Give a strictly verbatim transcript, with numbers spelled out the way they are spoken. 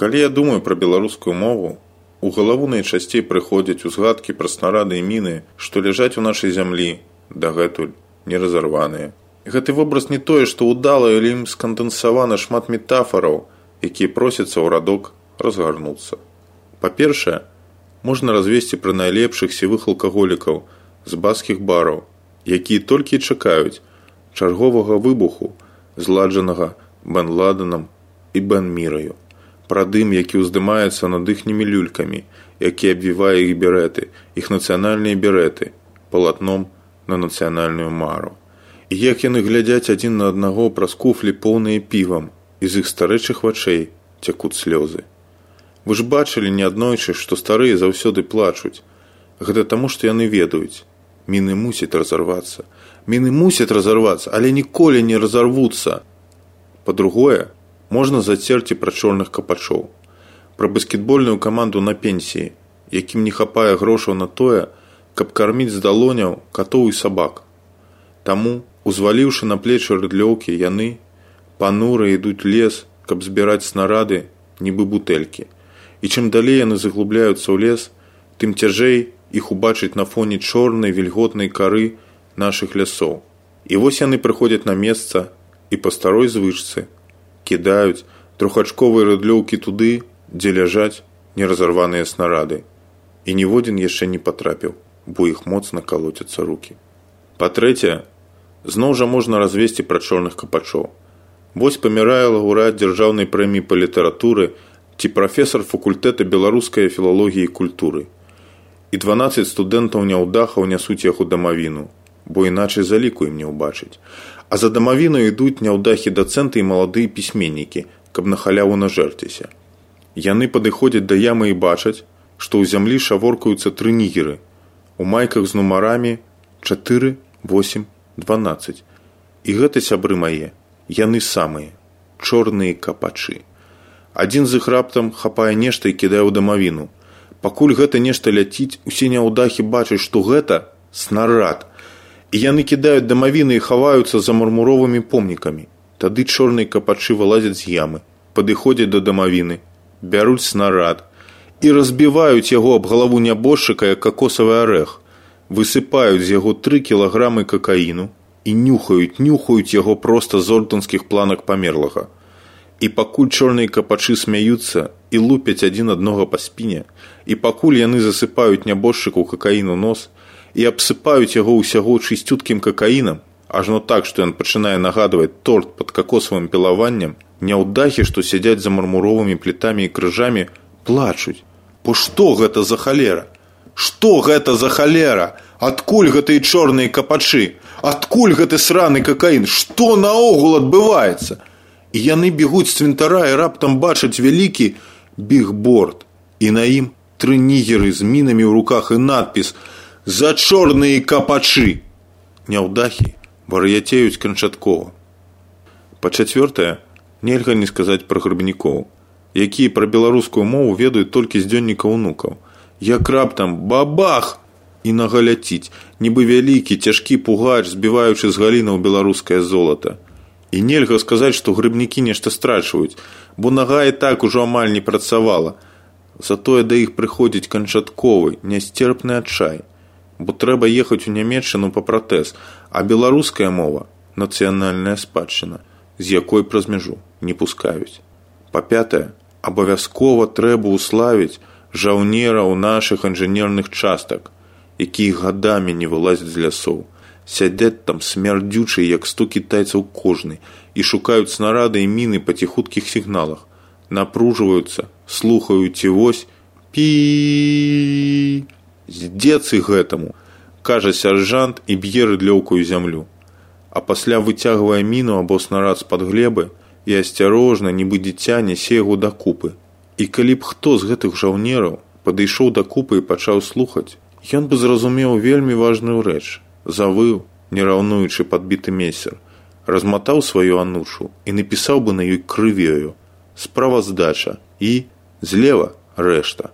Калі я думаю пра беларускую мову, у галаву найчасцей прыходзяць узгадкі пра снарады і міны, што ляжаць у нашай зямлі, дагэтуль не разарваныя. Гэты вобраз не тое, што ўдала или ім скандэнсавана шмат метафараў, якія просяцца ў радок разгарнуцца. Па-першае, можна развесці пра найлепшых сівых алкаголікаў з баскіх бараў, якія толькі чакаюць чарговага выбуху, зладжанага Бен Ладенам і Бен Міраю. Пра дым, які ўздымаецца над іхнімі люлькамі, які абвівае іх береты, іх нацыянальныя береты, палатном на нацыянальную мару. І як яны глядзяць адзін на аднаго праз куфлі поўныя півам, і з іх старэчых вачэй цякуць слёзы. Вы ж бачылі неаднойчы, што старыя заўсёды плачуць. Гэта таму, што яны ведаюць. Міны мусяць разарвацца. Міны мусяць разарвацца, але ніколі не разарвуцца. Па-другое, можна зацерці пра чорных капачоў, пра баскетбольную каманду на пенсіі, якім не хапае грошаў на тое, каб карміць з далоняў катоў і сабак. Таму, узваліўшы на плечы рыдлёўкі, яны панура ідуць лес, каб збіраць снарады, нібы бутэлькі. І чым далей яны заглубляюцца ў лес, тым цяжэй іх убачыць на фоне чорнай вільготнай кары нашых лясоў. І вось яны прыходзяць на месца і па старой звычцы кідаюць трохачковыя рыдлёўкі туды, дзе ляжаць неразарваныя снарады. І ніводзін яшчэ не патрапіў, бо іх моцна калоцяцца рукі. Па-трэцяе, зноў жа можна развесці пра чорных капачоў. Вось памірае лаўрэат дзяржаўнай прэміі па літаратуры ці прафесар факультэта беларускай філалогіі і культуры. І дванаццаць студэнтаў няўдахаў нясуць яго дамавіну, бо іначай заліку ім не ўбачыць. А за дамавіну ідуць няўдахі дацэнты і маладыя пісьменнікі, каб на халяву нажэрціся. Яны падыходзяць да ямы і бачаць, што ў зямлі шаворкаюцца тры нігеры, у майках з нумарамі чатыры, восем, дванаццаць. І гэта, сябры мае, яны самыя, чорныя капачы. Адзін з іх раптам хапае нешта і кідае ў дамавіну. Пакуль гэта нешта ляціць, усе няўдахі бачаць, што гэта снарад. І яны кідаюць дамавіны і хаваюцца за мармуровымі помнікамі. Тады чорныя капачы вылазяць з ямы, падыходзяць да дамавіны, бяруць снарад і разбіваюць яго аб галаву нябожчыка, як какосавы арэх, высыпаюць з яго тры кілаграмы какаіну і нюхаюць, нюхаюць яго проста з ордэнскіх планак памерлага. І пакуль чорныя капачы смяюцца і лупяць адзін аднога па спіне, і пакуль яны засыпаюць нябожчыку какаіну нос, і абсыпаюць яго ўсяго чысцюткім какаінам, ажно так, што ён пачынае нагадваць торт пад какосавым пілаваннем, няўдахі, што сядзяць за мармуровымі плітамі і крыжамі, плачуць. Бо што гэта за халера? Што гэта за халера? Адкуль гэтыя чорныя капачы? Адкуль гэты сраны какаін? Што наогул адбываецца? І яны бегуць з цвінтара і раптам бачаць вялікі бігборд. І на ім тры нігеры з мінамі ў руках і надпіс «За чорныя капачы». Няўдахі вар'яцеюць канчаткова. Па-чацвёртае, нельга не сказаць пра грыбнікоў, якія пра беларускую мову ведаюць толькі з дзённіка ўнукаў. Як раптам бабах! І нага ляціць, нібы вялікі, цяжкі пугач, збіваючы з галінаў беларускае золата. І нельга сказаць, што грыбнікі нешта страчваюць, бо нага і так ужо амаль не працавала. Затое да іх прыходзіць канчатковы, нясцерпны адчай. Бо трэба ехаць у Нямецчыну па пратэз, а беларуская мова – нацыянальная спадчына, з якой праз мяжу не пускаюць. Па-пятае, абавязкова трэба ўславіць жаўнераў нашых інжынерных частак, якія гадамі не вылазяць з лясоў, сядзяць там смярдзючыя, як сто кітайцаў кожны, і шукаюць снарады і міны па ціхуткіх сігналах, напружваюцца, слухаюць і вось пі. Здзецы гэтаму, кажа сяржант і б'е рыдлёўкаю зямлю. А пасля выцягвае міну або снарад з-пад глебы і асцярожна, нібы дзіця, нясе яго да купы. І калі б хто з гэтых жаўнераў падышоў да купы і пачаў слухаць, ён бы зразумеў вельмі важную рэч. Завыў, не раўнуючы падбіты месяр, разматаў сваю анушу і напісаў бы на ёй крывёю справаздача і злева рэшта.